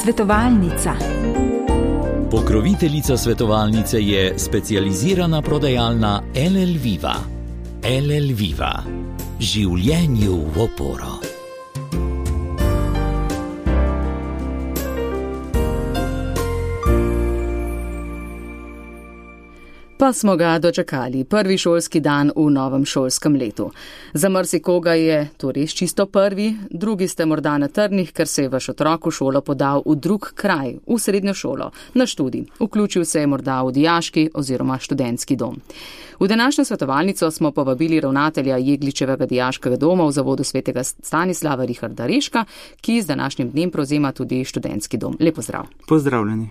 Svetovalnica. Pokroviteljica svetovalnice je specializirana prodajalna LL Viva. LL Viva. Življenju v oporo. Pa smo ga dočakali, prvi šolski dan v novem šolskem letu. Za marsikoga je to res čisto prvi, drugi ste morda na trnih, ker se je vaš otrok v šolo podal v drug kraj, v srednjo šolo, na študij. Vključil se je morda v dijaški oziroma študentski dom. V današnjo svetovalnico smo povabili ravnatelja Jegličevega dijaškega doma v Zavodu svetega Stanislava Richarda Reška, ki z današnjim dnem prevzema tudi študentski dom. Lep pozdrav. Pozdravljeni.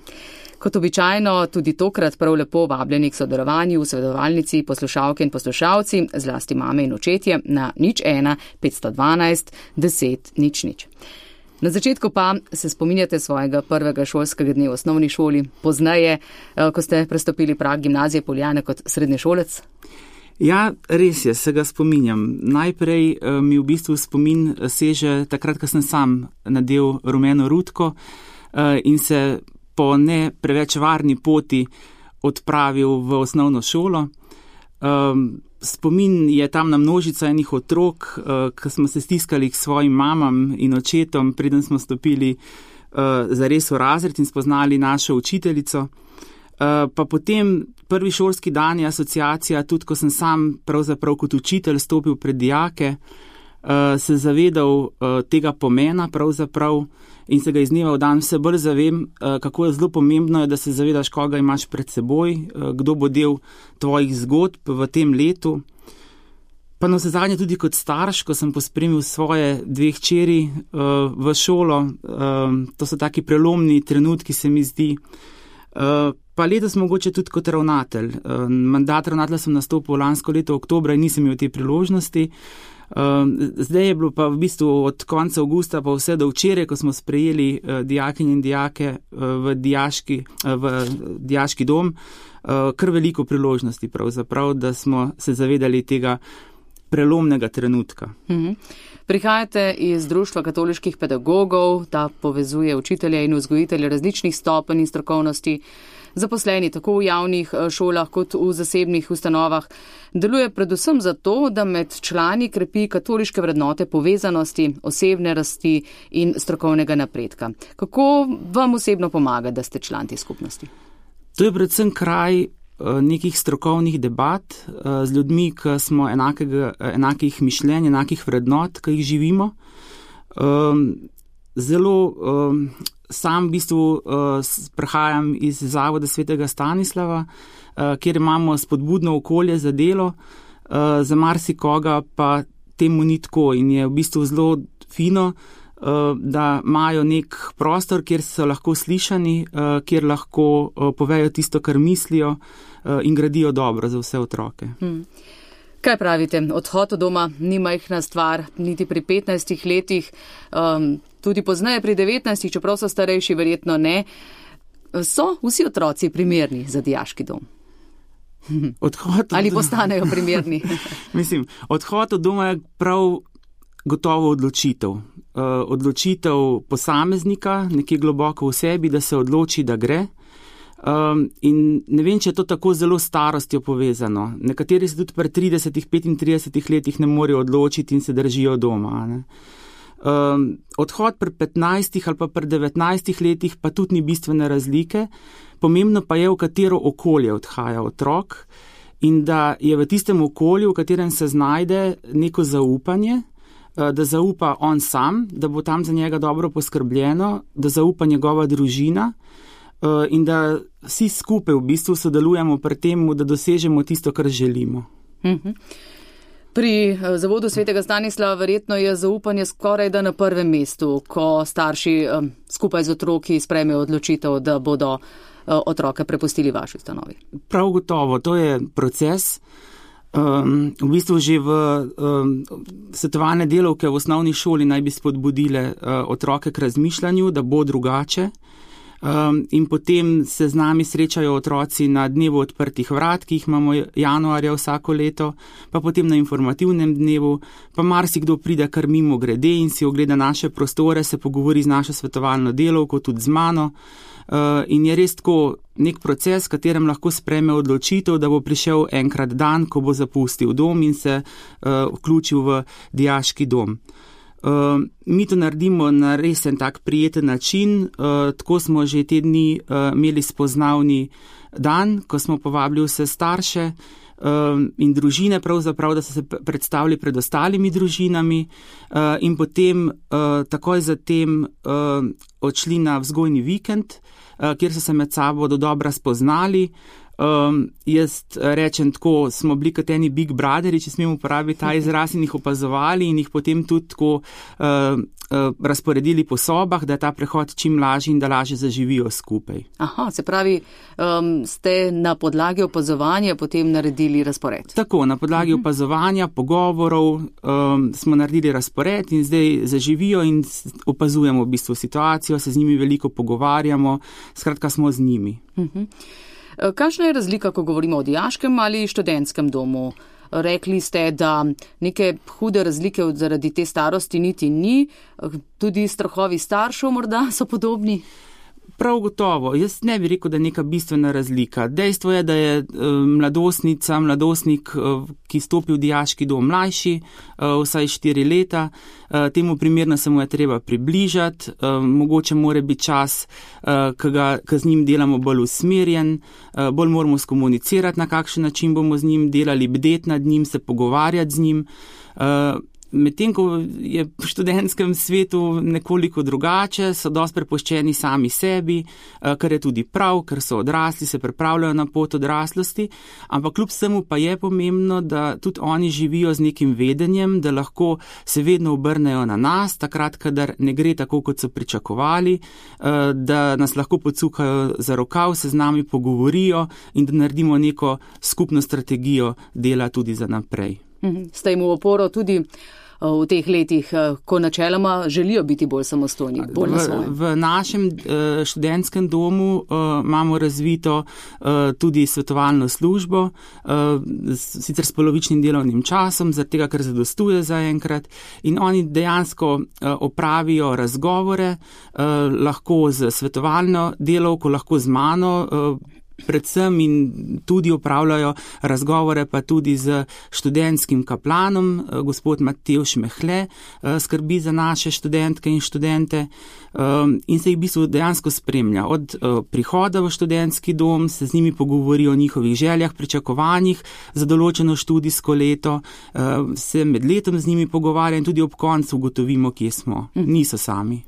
Kot običajno, tudi tokrat prav lepo vabljeni k sodelovanju v svetovalnici poslušalke in poslušalci, zlasti mame in očetje, na 01 512 10 00. Na začetku pa se spominjate svojega prvega šolskega dne v osnovni šoli, pozneje, ko ste prestopili prag gimnazije Poljane kot srednješolec? Ja, res je, se ga spominjam. Najprej mi v bistvu spomin seže takrat, ko sem sam nadel rumeno rutko in se po ne preveč varni poti odpravil v osnovno šolo. Spomin je tam na množico enih otrok, ki smo se stiskali k svojim mamam in očetom, preden smo stopili zares v razred in spoznali našo učiteljico. Pa potem prvi šolski dan je asociacija, tudi ko sem sam pravzaprav kot učitelj stopil pred dijake, se zavedal tega pomena pravzaprav in se ga iz dneva v dan vse bolj zavem, kako je zelo pomembno, da se zavedaš, koga imaš pred seboj, kdo bo del tvojih zgodb v tem letu. Pa na vsezadnje tudi kot starš, ko sem pospremil svoje dve hčeri v šolo, to so taki prelomni trenutki, se mi zdi. Pa letos mogoče tudi kot ravnatelj. Mandat ravnatelja sem nastopil lansko leto oktobra in nisem imel te priložnosti. Zdaj je bilo pa v bistvu od konca avgusta pa vse do včeraj, ko smo sprejeli dijakinje in dijake v dijaški dom, kar veliko priložnosti pravzaprav, da smo se zavedali tega prelomnega trenutka. Prihajate iz Društva katoliških pedagogov, ta povezuje učitelje in vzgojitelje različnih stopenj in strokovnosti, zaposleni tako v javnih šolah kot v zasebnih ustanovah. Deluje predvsem zato, da med člani krepi katoliške vrednote povezanosti, osebne rasti in strokovnega napredka. Kako vam osebno pomaga, da ste član te skupnosti? To je predvsem kraj nekih strokovnih debat z ljudmi, ki smo enakih mišljenj, enakih vrednot, ki jih živimo. Zelo sam v bistvu prihajam iz Zavoda svetega Stanislava, kjer imamo spodbudno okolje za delo, za marsikoga pa temu ni tako in je v bistvu zelo fino, da imajo nek prostor, kjer so lahko slišani, kjer lahko povejo tisto, kar mislijo in gradijo dobro za vse otroke. Kaj pravite? Odhod od doma ni majhna stvar, niti pri 15 letih, tudi pozneje pri 19, čeprav so starejši, verjetno ne. So vsi otroci primerni za dijaški dom? Ali postanejo primerni? Mislim, odhod od doma je prav gotovo odločitev. Odločitev posameznika, nekje globoko v sebi, da se odloči, da gre. In ne vem, če je to tako zelo starostjo povezano. Nekateri se tudi pri 30-35 letih ne morejo odločiti in se držijo doma. Ne? Odhod pri 15 ali pa pri 19 letih pa tudi ni bistvene razlike. Pomembno pa je, v katero okolje odhaja otrok in da je v tistem okolju, v katerem se znajde, neko zaupanje, da zaupa on sam, da bo tam za njega dobro poskrbljeno, da zaupa njegova družina in da vsi skupaj v bistvu sodelujemo pri tem, da dosežemo tisto, kar želimo. Pri Zavodu svetega Stanislava verjetno je zaupanje skoraj da na prvem mestu, ko starši skupaj z otroki sprejmejo odločitev, da bodo otroke prepustili vaši ustanovi. Prav gotovo, to je proces. V bistvu že v svetovalne delavke v osnovni šoli naj bi spodbudile otroke k razmišljanju, da bo drugače. In potem se z nami srečajo otroci na dnevu odprtih vrat, ki jih imamo januarja vsako leto, pa potem na informativnem dnevu, pa marsikdo pride kar mimo grede in si ogleda naše prostore, se pogovori z našo svetovalno delavko, tudi z mano. In je res tako nek proces, v katerem lahko sprejme odločitev, da bo prišel enkrat dan, ko bo zapustil dom in se vključil v dijaški dom. Mi to naredimo na res en tak prijeten način, tako smo že te dni imeli spoznavni dan, ko smo povabili vse starše in družine pravzaprav, da so se predstavili pred ostalimi družinami in potem takoj zatem odšli na vzgojni vikend, kjer so se med sabo dodobra spoznali. Jaz rečem tako, smo bili kot eni Big Brotheri, če smemo uporabiti ta izraz, in jih opazovali in jih potem tudi tako razporedili po sobah, da je ta prehod čim lažji in da lažje zaživijo skupaj. Aha, se pravi, ste na podlagi opazovanja potem naredili razpored? Tako, na podlagi opazovanja, pogovorov smo naredili razpored in zdaj zaživijo in opazujemo v bistvu situacijo, se z njimi veliko pogovarjamo, skratka smo z njimi. Kakšna je razlika, ko govorimo o dijaškem ali študentskem domu? Rekli ste, da neke hude razlike zaradi te starosti niti ni, tudi strahovi staršev morda so podobni? Prav gotovo. Jaz ne bi rekel, da je neka bistvena razlika. Dejstvo je, da je mladostnik, ki stopi v dijaški dom mlajši, vsaj 4 leta, temu primerno se mu je treba približati, mogoče mora biti čas, ki z njim delamo bolj usmerjen, bolj moramo skomunicirati, na kakšen način bomo z njim delali, bdeti nad njim, se pogovarjati z njim. Medtem, ko je v študentskem svetu nekoliko drugače, so dosti prepuščeni sami sebi, kar je tudi prav, ker so odrasli, se pripravljajo na pot odraslosti, ampak kljub vsemu pa je pomembno, da tudi oni živijo z nekim vedenjem, da lahko se vedno obrnejo na nas, takrat, kadar ne gre tako, kot so pričakovali, da nas lahko pocukajo za rokav, se z nami pogovorijo in da naredimo neko skupno strategijo dela tudi za naprej. Ste jim v oporo tudi v teh letih, ko načeloma želijo biti bolj samostojni, bolj na svojem? V našem študentskem domu imamo razvito tudi svetovalno službo, sicer s polovičnim delovnim časom, zaradi tega, ker zadostuje zaenkrat, in oni dejansko opravijo razgovore, lahko z svetovalno delavko, lahko z mano, predvsem in tudi opravljajo razgovore pa tudi z študentskim kaplanom, gospod Matevž Mehle, skrbi za naše študentke in študente in se jih v bistvu dejansko spremlja. Od prihoda v študentski dom se z njimi pogovori o njihovih željah, pričakovanjih za določeno študijsko leto, se med letom z njimi pogovarja in tudi ob koncu ugotovimo, kje smo. Niso sami.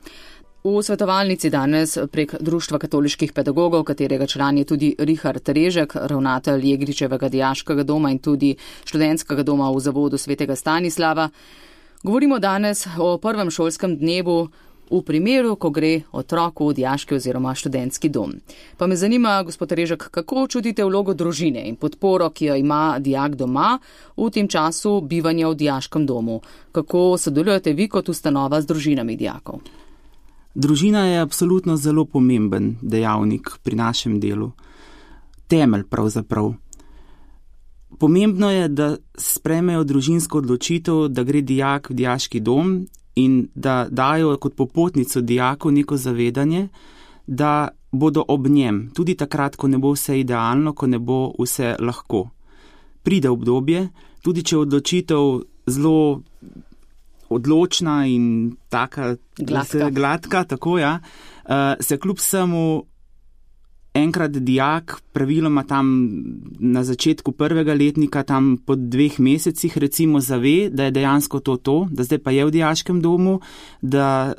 V svetovalnici danes prek Društva katoliških pedagogov, katerega član je tudi Richard Režek, ravnatelj Jegričevega dijaškega doma in tudi študentskega doma v zavodu Svetega Stanislava, govorimo danes o prvem šolskem dnevu v primeru, ko gre otrok v dijaški oziroma študentski dom. Pa me zanima, gospod Režek, kako čutite vlogo družine in podporo, ki jo ima dijak doma v tem času bivanja v dijaškem domu? Kako sodelujete vi kot ustanova z družinami dijakov? Družina je absolutno zelo pomemben dejavnik pri našem delu. Temelj pravzaprav. Pomembno je, da sprejmejo družinsko odločitev, da gre dijak v dijaški dom in da dajo kot popotnico dijaku neko zavedanje, da bodo ob njem, tudi takrat, ko ne bo vse idealno, ko ne bo vse lahko. Pride obdobje, tudi če odločitev zelo odločna in taka gladka, tako ja, se kljub vsemu enkrat dijak, praviloma tam na začetku prvega letnika, tam po 2 mesecih recimo zave, da je dejansko to, da zdaj pa je v dijaškem domu, da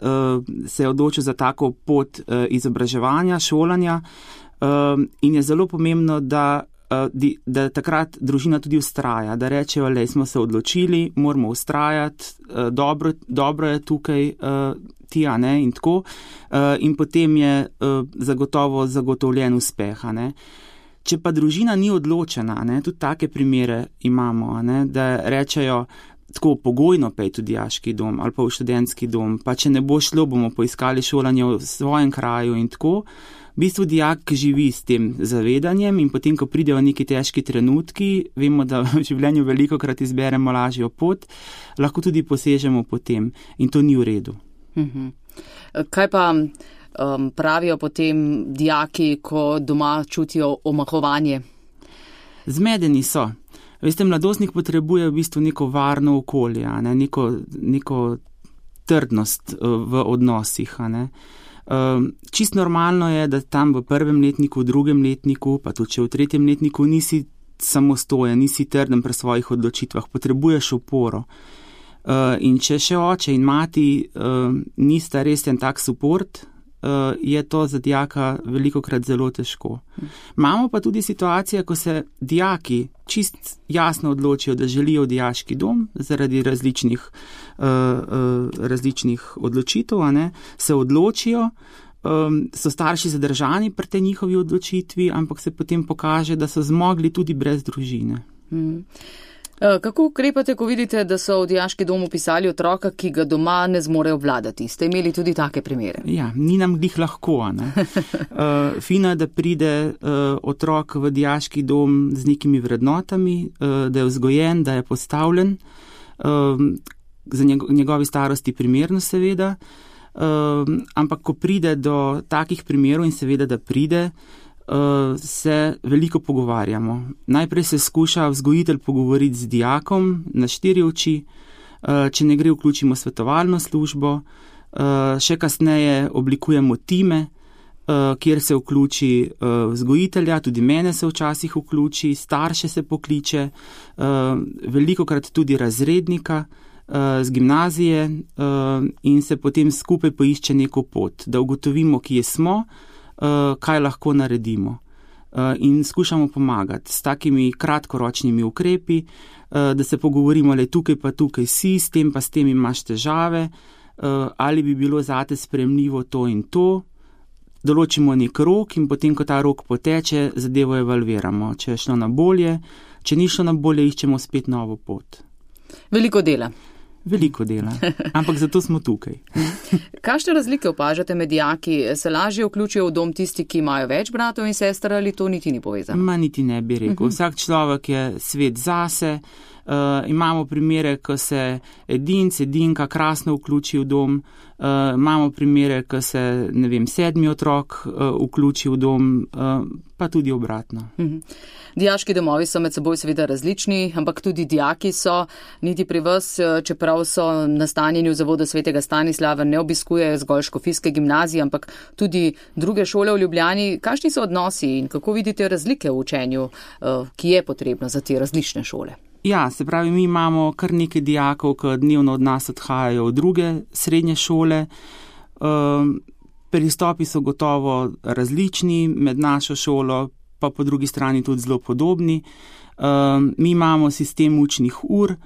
se je odločil za tako pot izobraževanja, šolanja in je zelo pomembno, da takrat družina tudi vztraja, da rečejo, lej, smo se odločili, moramo vztrajati, dobro je tukaj ti, a ne, in tako, in potem je zagotovo zagotovljen uspeh, a ne. Če pa družina ni odločena, ne, tudi take primere imamo, a ne, da rečejo, tako pogojno pejti v dijaški dom ali pa v študentski dom, pa če ne bo šlo, bomo poiskali šolanje v svojem kraju in tako. V bistvu dijak živi s tem zavedanjem in potem, ko pridejo neki težki trenutki, vemo, da v življenju velikokrat izberemo lažjo pot, lahko tudi posežemo po tem in to ni v redu. Kaj pa pravijo potem dijaki, ko doma čutijo omahovanje? Zmedeni so. Veste, mladostnik potrebuje v bistvu neko varno okolje, neko trdnost v odnosih. Čist normalno je, da tam v 1. letniku, v 2. letniku, pa tudi če v 3. letniku nisi samostojen, nisi trden pri svojih odločitvah, potrebuješ oporo. In če še oče in mati nista res en tak suport, je to za dijaka velikokrat zelo težko. Imamo pa tudi situacije, ko se dijaki čist jasno odločijo, da želijo v dijaški dom zaradi različnih odločitev, se odločijo, so starši zadržani pri tej njihovi odločitvi, ampak se potem pokaže, da so zmogli tudi brez družine. Kako ukrepate, ko vidite, da so v dijaški dom upisali otroka, ki ga doma ne zmorejo obvladati? Ste imeli tudi take primere? Ja, ni nam glih lahko. Fino je, da pride otrok v dijaški dom z nekimi vrednotami, da je vzgojen, da je postavljen, za njegovi starosti primerno seveda, ampak ko pride do takih primerov in seveda, da pride, se veliko pogovarjamo. Najprej se skuša vzgojitelj pogovoriti z dijakom na 4 oči, če ne gre, vključimo svetovalno službo, še kasneje oblikujemo time, kjer se vključi vzgojitelja, tudi mene se včasih vključi, starše se pokliče, velikokrat tudi razrednika z gimnazije in se potem skupaj poišče neko pot, da ugotovimo, kje smo, kaj lahko naredimo in skušamo pomagati s takimi kratkoročnimi ukrepi, da se pogovorimo, le tukaj pa tukaj si, s tem imaš težave, ali bi bilo zate sprejemljivo to in to, določimo nek rok in potem, ko ta rok poteče, zadevo evalviramo, če je šlo na bolje, če ni šlo na bolje, iščemo spet novo pot. Veliko dela. Veliko dela, ampak zato smo tukaj. Kakšne razlike opažate med dijaki? Se lažje vključijo v dom tisti, ki imajo več bratov in sester, ali to niti ni povezano? Niti ne bi rekel. Vsak človek je svet zase. Imamo primere, ko se edinka krasno vključi v dom. Imamo primere, ko se, 7. otrok vključi v dom, pa tudi obratno. Dijaški domovi so med seboj seveda različni, ampak tudi dijaki so, niti pri vas, čeprav so nastanjeni v zavodu Svetega Stanislava, ne obiskujejo zgolj škofijske gimnazije, ampak tudi druge šole v Ljubljani. Kakšni so odnosi in kako vidite razlike v učenju, ki je potrebno za te različne šole? Ja, se pravi, mi imamo kar nekaj dijakov, ki dnevno od nas odhajajo v druge srednje šole. Pristopi so gotovo različni med našo šolo, pa po drugi strani tudi zelo podobni. Mi imamo sistem učnih ur,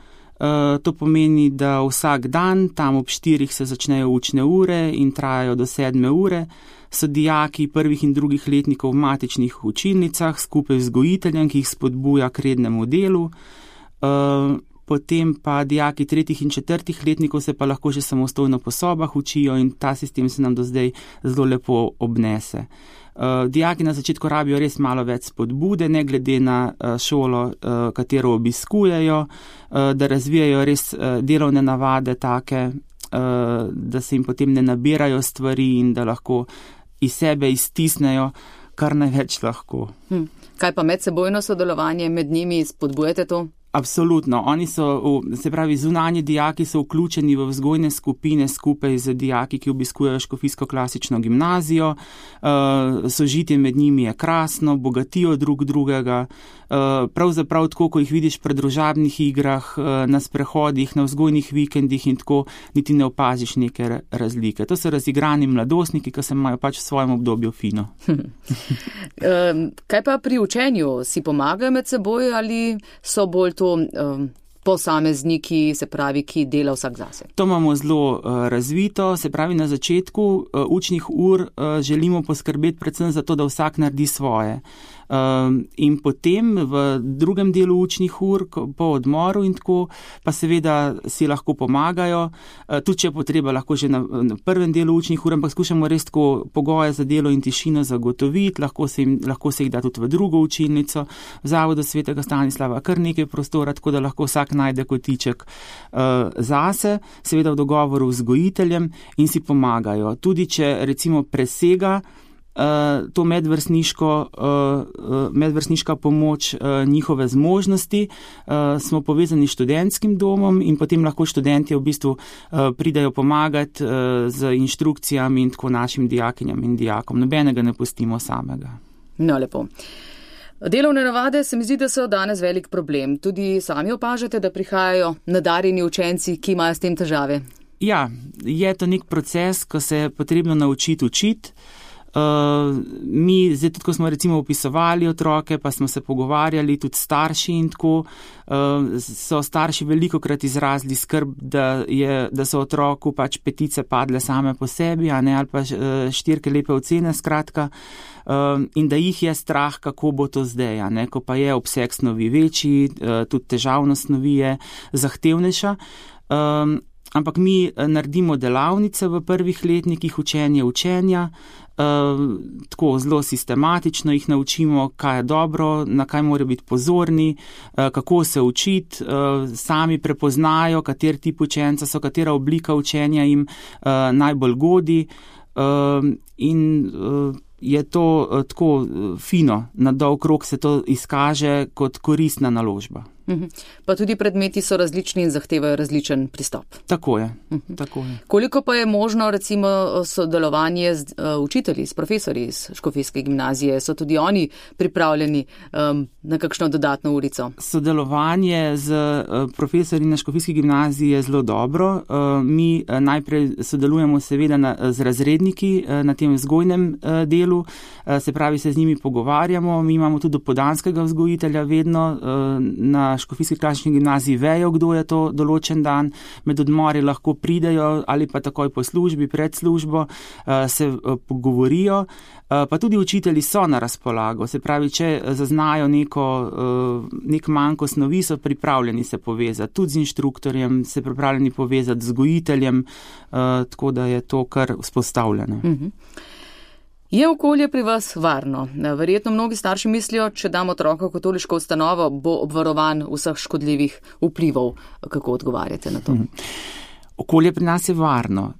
to pomeni, da vsak dan, tam ob 4 se začnejo učne ure in trajajo do 7 ure. So dijaki 1. in 2. letnikov v matičnih učilnicah skupaj z vzgojiteljem, ki jih spodbuja k rednemu delu. Potem pa dijaki 3. in 4. letnikov se pa lahko že samostojno po sobah učijo in ta sistem se nam do zdaj zelo lepo obnese. Dijaki na začetku rabijo res malo več spodbude, ne glede na šolo, katero obiskujejo, da razvijajo res delovne navade take, da se jim potem ne nabirajo stvari in da lahko iz sebe iztisnejo kar največ lahko. Kaj pa medsebojno sodelovanje med njimi, spodbujate to? Absolutno. Oni so, se pravi, zunanji dijaki so vključeni v vzgojne skupine skupaj z dijaki, ki obiskujejo škofijsko klasično gimnazijo. Sožitje med njimi je krasno, bogatijo drug drugega. Pravzaprav tako, ko jih vidiš pri družabnih igrah, na sprehodih, na vzgojnih vikendih in tako, niti ne opaziš neke razlike. To so razigrani mladostniki, ki se imajo pač v svojem obdobju fino. Kaj pa pri učenju? Si pomagajo med seboj ali so bolj to posamezniki, se pravi, ki dela vsak zase? To imamo zelo razvito, se pravi, na začetku učnih ur želimo poskrbeti predvsem za to, da vsak naredi svoje. In potem v drugem delu učnih ur, po odmoru in tako, pa seveda si lahko pomagajo, tudi če je potreba lahko že na prvem delu učnih ur, ampak skušamo res tako pogoje za delo in tišino zagotoviti, lahko se jih da tudi v drugo učilnico, v Zavodu svetega Stanislava kar nekaj prostora, tako da lahko vsak najde kotiček zase, seveda v dogovoru z vzgojiteljem in si pomagajo. Tudi če recimo presega to medvrstniška pomoč njihove zmožnosti, smo povezani s študentskim domom in potem lahko študentje v bistvu pridajo pomagati z inštrukcijami in tako našim dijakinjam in dijakom. Nobenega ne pustimo samega. No, lepo. Delovne navade se mi zdi, da so danes velik problem. Tudi sami opažate, da prihajajo nadarjeni učenci, ki imajo s tem težave? Ja, je to nek proces, ko se je potrebno naučiti učiti. Mi, zdaj tudi, ko smo recimo opisovali otroke, pa smo se pogovarjali tudi starši in tako, so starši velikokrat izrazili skrb, da so otroku pač petice padle same po sebi, ali pa 4 lepe ocene, skratka, in da jih je strah, kako bo to zdaj, ko pa je obseg snovi večji, tudi težavnost snovi je zahtevnejša. Ampak mi naredimo delavnice v prvih letnikih učenja, tako zelo sistematično jih naučimo, kaj je dobro, na kaj morajo biti pozorni, kako se učiti, sami prepoznajo, kater tip učenca so, katera oblika učenja jim najbolj godi in je to tako fino, na dolg rok se to izkaže kot koristna naložba. Pa tudi predmeti so različni in zahtevajo različen pristop. Tako je. Koliko pa je možno recimo sodelovanje z učitelji, s profesorji iz Škofijske gimnazije? So tudi oni pripravljeni na kakšno dodatno urico? Sodelovanje z profesorji na Škofijski gimnaziji je zelo dobro. Mi najprej sodelujemo seveda z razredniki na tem vzgojnem delu, se pravi, se z njimi pogovarjamo. Mi imamo tudi dopoldanskega vzgojitelja vedno na Škofijski klasični gimnaziji vejo, kdo je to določen dan, med odmori lahko pridejo ali pa takoj po službi, pred službo, se pogovorijo, pa tudi učitelji so na razpolago, se pravi, če zaznajo nek manko snovi, so pripravljeni se povezati, tudi z inštruktorjem, se pripravljeni povezati z vzgojiteljem, tako da je to kar vzpostavljeno. Je okolje pri vas varno? Verjetno mnogi starši mislijo, če damo otroka v katoliško ustanovo, bo obvarovan vseh škodljivih vplivov. Kako odgovarjate na to? Okolje pri nas je varno.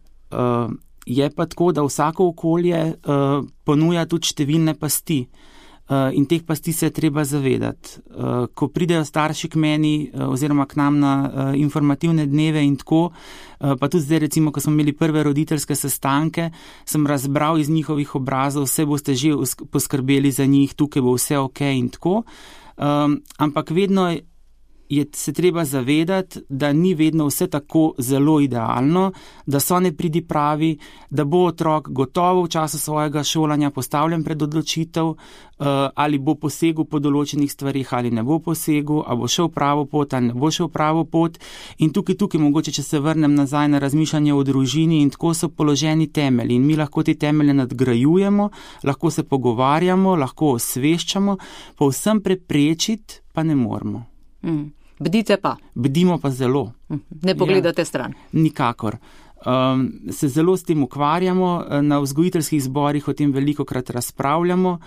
Je pa tako, da vsako okolje ponuja tudi številne pasti. In teh pasti se je treba zavedati. Ko pridejo starši k meni oziroma k nam na informativne dneve in tako, pa tudi zdaj recimo, ko smo imeli prve roditeljske sestanke, sem razbral iz njihovih obrazov, vse boste že poskrbeli za njih, tukaj bo vse ok in tako. Ampak vedno se treba zavedati, da ni vedno vse tako zelo idealno, da so nepridipravi, da bo otrok gotovo v času svojega šolanja postavljen pred odločitev, ali bo posegel po določenih stvarih, ali ne bo posegel, ali bo šel pravo pot, ali ne bo šel pravo pot. In tukaj mogoče, če se vrnem nazaj na razmišljanje o družini, in tako so položeni temelji. In mi lahko te temelje nadgrajujemo, lahko se pogovarjamo, lahko osveščamo, povsem preprečiti pa ne moremo. Bdite pa? Bdimo pa zelo. Ne pogledate stran? Nikakor. Se zelo s tem ukvarjamo, na vzgojiteljskih zborih o tem velikokrat razpravljamo,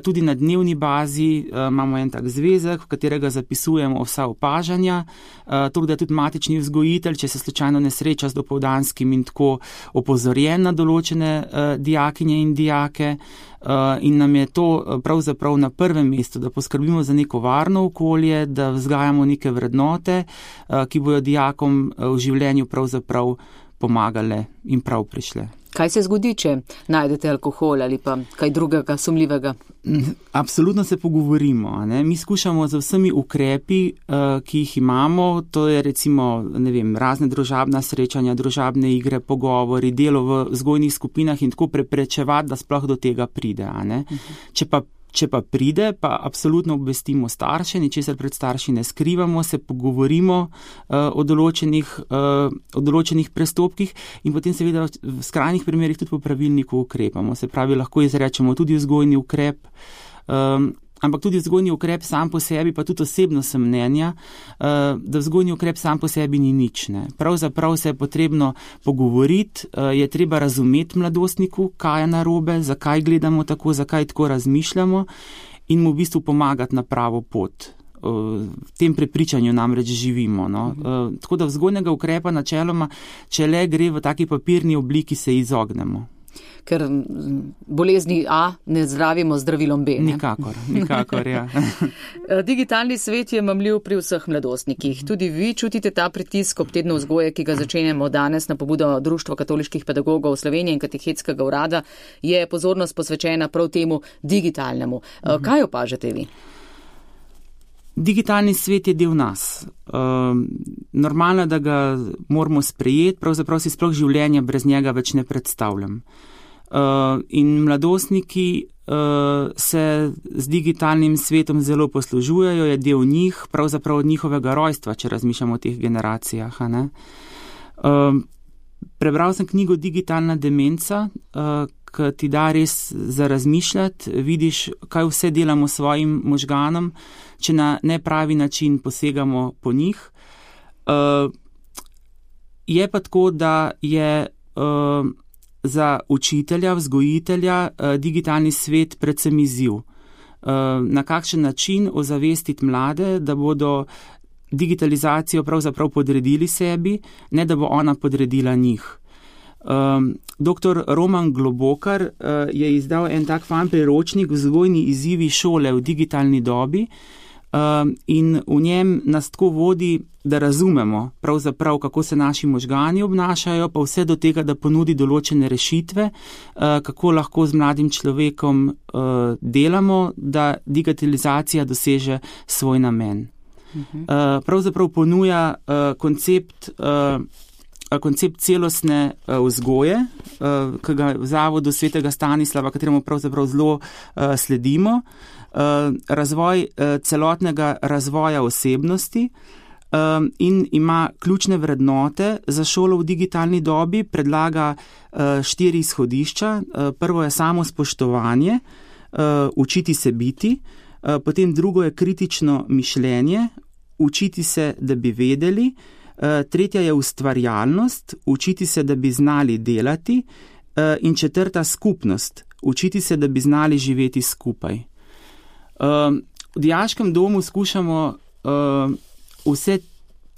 tudi na dnevni bazi imamo en tak zvezek, v katerega zapisujemo vsa opažanja, tako da tudi matični vzgojitelj, če se slučajno ne sreča z dopoldanskim in tako opozorjen na določene dijakinje in dijake, in nam je to pravzaprav na prvem mestu, da poskrbimo za neko varno okolje, da vzgajamo neke vrednote, ki bojo dijakom v življenju pravzaprav pomagale in prav prišle. Kaj se zgodi, če najdete alkohol ali pa kaj drugega sumljivega? Absolutno se pogovorimo. Mi skušamo z vsemi ukrepi, ki jih imamo, to je recimo razne družabna srečanja, družabne igre, pogovori, delo v vzgojnih skupinah in tako preprečevati, da sploh do tega pride. Če pa pride, pa absolutno obvestimo starše, ničesar pred starši ne skrivamo, se pogovorimo o določenih prestopkih in potem seveda v skrajnih primerih tudi po pravilniku ukrepamo. Se pravi, lahko izrečemo tudi vzgojni ukrep ampak tudi vzgojni ukrep sam po sebi, pa tudi osebno sem mnenja, da vzgojni ukrep sam po sebi ni nič. Ne. Pravzaprav se je potrebno pogovoriti, je treba razumeti mladostniku, kaj je narobe, zakaj gledamo tako, zakaj tako razmišljamo in mu v bistvu pomagati na pravo pot. V tem prepričanju namreč živimo. No. Tako da vzgojnega ukrepa načeloma, če le gre v taki papirni obliki, se izognemo. Ker bolezni A ne zdravimo z zdravilom B. Ne? Nikakor, ja. Digitalni svet je mamljiv pri vseh mladostnikih. Tudi vi čutite ta pritisk ob tednu vzgoje, ki ga začenjamo danes na pobudo Društva katoliških pedagogov Slovenije in Katehetskega urada, je pozornost posvečena prav temu digitalnemu. Kaj opažate vi? Digitalni svet je del nas. Normalno, da ga moramo sprejeti, pravzaprav si sploh življenja brez njega več ne predstavljam. In mladostniki se z digitalnim svetom zelo poslužujejo, je del njih, pravzaprav od njihovega rojstva, če razmišljamo o teh generacijah. Ne? Prebral sem knjigo Digitalna demenca, ki ti da res za razmišljati, vidiš, kaj vse delamo svojim možganom, če na nepravi način posegamo po njih. Je pa tako, da je za učitelja, vzgojitelja digitalni svet predvsem izziv. Na kakšen način ozavestiti mlade, da bodo digitalizacijo pravzaprav podredili sebi, ne da bo ona podredila njih. Dr. Roman Globokar je izdal en tak fan priročnik Vzgojni izzivi šole v digitalni dobi in v njem nas tako vodi, da razumemo pravzaprav, kako se naši možgani obnašajo, pa vse do tega, da ponudi določene rešitve, kako lahko z mladim človekom delamo, da digitalizacija doseže svoj namen. Pravzaprav ponuja koncept celostne vzgoje, ki ga v Zavodu svetega Stanislava, kateremu pravzaprav zelo sledimo, razvoj celotnega razvoja osebnosti in ima ključne vrednote za šolo v digitalni dobi, predlaga 4 izhodišča. Prvo je samospoštovanje, učiti se biti, potem drugo je kritično mišljenje, učiti se, da bi vedeli, tretja je ustvarjalnost, učiti se, da bi znali delati in četrta skupnost, učiti se, da bi znali živeti skupaj. V dijaškem domu skušamo vse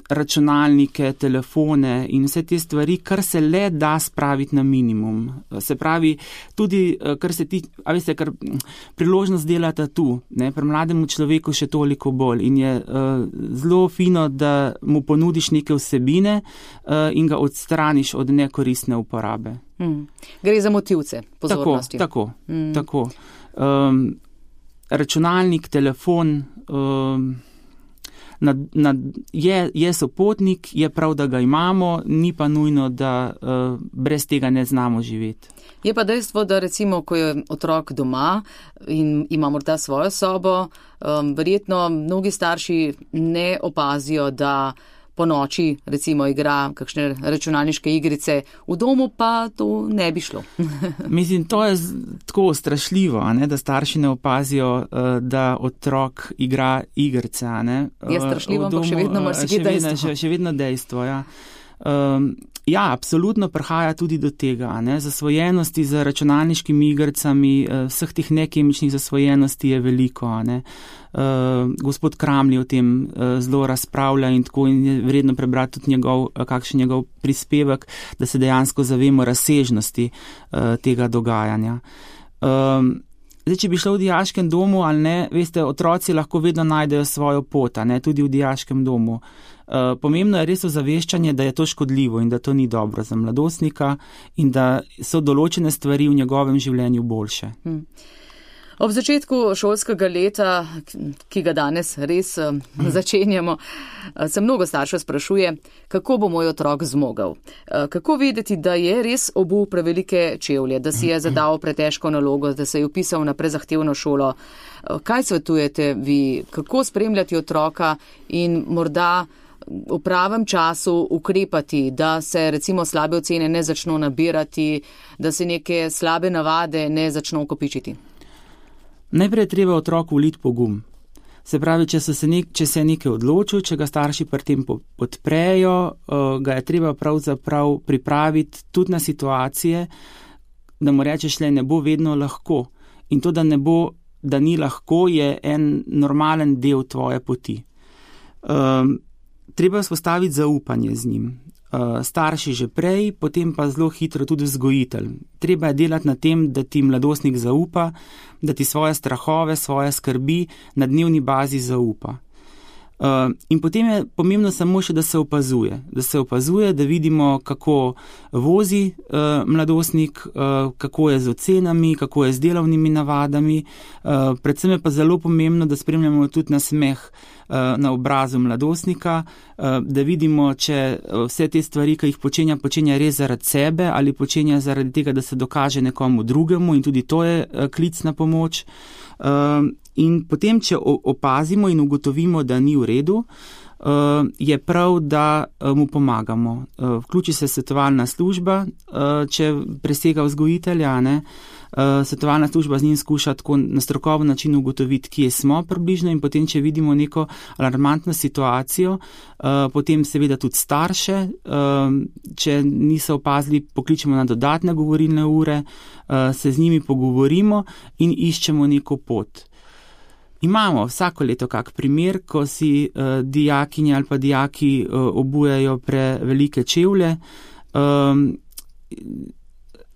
računalnike, telefone in vse te stvari, kar se le da spraviti na minimum. Se pravi, tudi, kar se ti, a veste, kar priložnost delata tu, ne, pri mlademu človeku še toliko bolj in je zelo fino, da mu ponudiš neke vsebine in ga odstraniš od nekoristne uporabe. Gre za motivce pozornosti. Tako. Računalnik, telefon, je sopotnik, je prav, da ga imamo, ni pa nujno, da brez tega ne znamo živeti. Je pa dejstvo, da recimo, ko je otrok doma in ima morda svojo sobo, verjetno mnogi starši ne opazijo, da po noči recimo igra kakšne računalniške igrice, v domu pa to ne bi šlo. Mislim, to je tako strašljivo, ne, da starši ne opazijo, da otrok igra igrice. Ne. Je strašljivo, ampak še vedno marsikaj dejstvo. Še vedno dejstvo, ja. Ja, absolutno prihaja tudi do tega, ne, zasvojenosti z računalniškimi igricami, vseh teh nekemičnih zasvojenosti je veliko, ne. Gospod Kramli o tem zelo razpravlja in tako in je vredno prebrati tudi kakšen njegov prispevek, da se dejansko zavemo razsežnosti tega dogajanja. Zdaj, če bi šlo v dijaškem domu ali ne, veste, otroci lahko vedno najdejo svojo pot, ne, tudi v dijaškem domu. Pomembno je res ozaveščanje, da je to škodljivo in da to ni dobro za mladostnika in da so določene stvari v njegovem življenju boljše. Ob začetku šolskega leta, ki ga danes res začenjamo, se mnogo staršev sprašuje, kako bo moj otrok zmogel. Kako vedeti, da je res obul prevelike čevlje, da si je zadal pretežko nalogo, da se je vpisal na prezahtevno šolo. Kaj svetujete vi, kako spremljati otroka in morda v pravem času ukrepati, da se recimo slabe ocene ne začno nabirati, da se neke slabe navade ne začno kopičiti? Najprej je treba otroku vliti pogum. Se pravi, če se je nekaj odločil, če ga starši pri tem podprejo, ga je treba pravzaprav pripraviti tudi na situacije, da mu rečeš, ne bo vedno lahko. In to, da ni lahko, je en normalen del tvoje poti. Treba vzpostaviti zaupanje z njim. Starši že prej, potem pa zelo hitro tudi vzgojitelj. Treba je delati na tem, da ti mladostnik zaupa, da ti svoje strahove, svoje skrbi na dnevni bazi zaupa. In potem je pomembno samo še, da se opazuje, da vidimo, kako vozi mladostnik, kako je z ocenami, kako je z delovnimi navadami. Predvsem je pa zelo pomembno, da spremljamo tudi nasmeh na obrazu mladostnika, da vidimo, če vse te stvari, ki jih počenja res zaradi sebe ali počenja zaradi tega, da se dokaže nekomu drugemu, in tudi to je klic na pomoč. In potem, če opazimo in ugotovimo, da ni v redu, je prav, da mu pomagamo. Vključi se svetovalna služba, če presega vzgojitelja, ne. Svetovalna služba z njim skuša tako na strokoven način ugotoviti, kje smo približno, in potem, če vidimo neko alarmantno situacijo, potem seveda tudi starše, če niso opazili, pokličemo na dodatne govorilne ure, se z njimi pogovorimo in iščemo neko pot. Imamo vsako leto kak primer, ko si dijakinje ali pa dijaki obujajo prevelike čevlje.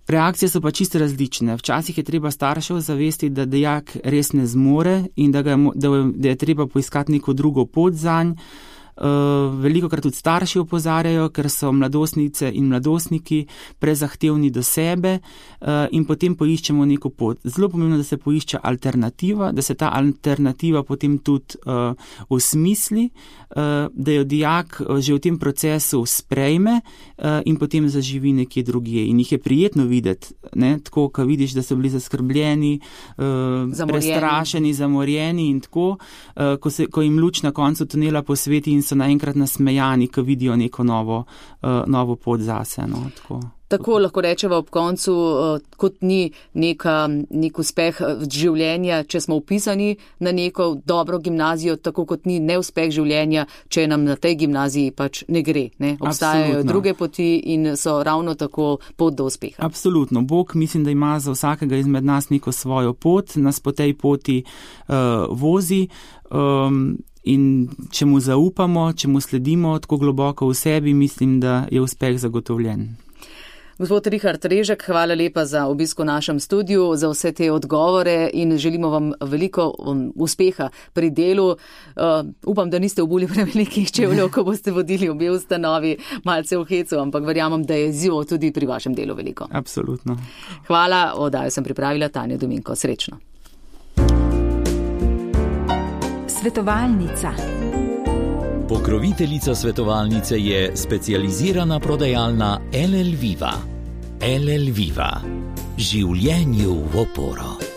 Reakcije so pa čisto različne. Včasih je treba staršev zavesti, da dijak res ne zmore in da je treba poiskati neko drugo pot zanj. Velikokrat tudi starši opozarjajo, ker so mladostnice in mladostniki prezahtevni do sebe, in potem poiščemo neko pot. Zelo pomembno, da se poišče alternativa, da se ta alternativa potem tudi osmisli, da jo dijak že v tem procesu sprejme in potem zaživi nekje drugje. In jih je prijetno videti, ne? Tako, ko vidiš, da so bili zaskrbljeni, prestrašeni, zamorjeni in tako, ko jim luč na koncu tunela posveti in so naenkrat nasmejani, ko vidijo neko novo pot zase. No, tako lahko rečeva ob koncu, kot ni nek uspeh življenja, če smo upisani na neko dobro gimnazijo, tako kot ni neuspeh življenja, če nam na tej gimnaziji pač ne gre. Ne? Obstajajo druge poti in so ravno tako pot do uspeha. Absolutno. Bog mislim, da ima za vsakega izmed nas neko svojo pot, nas po tej poti vozi. In če mu zaupamo, če mu sledimo tako globoko v sebi, mislim, da je uspeh zagotovljen. Gospod Richard Režek, hvala lepa za obisk v našem studiu, za vse te odgovore in želimo vam veliko uspeha pri delu. Upam, da niste obuli prevelikih čevljev, ko boste vodili obe ustanovi malce v hecu, ampak verjamem, da je izziv tudi pri vašem delu veliko. Absolutno. Hvala, oddajo sem pripravila Tanja Dominko. Srečno. Svetovalnica. Pokroviteljica svetovalnice je specializirana prodajalna LL Viva. LL Viva. Življenju v oporo.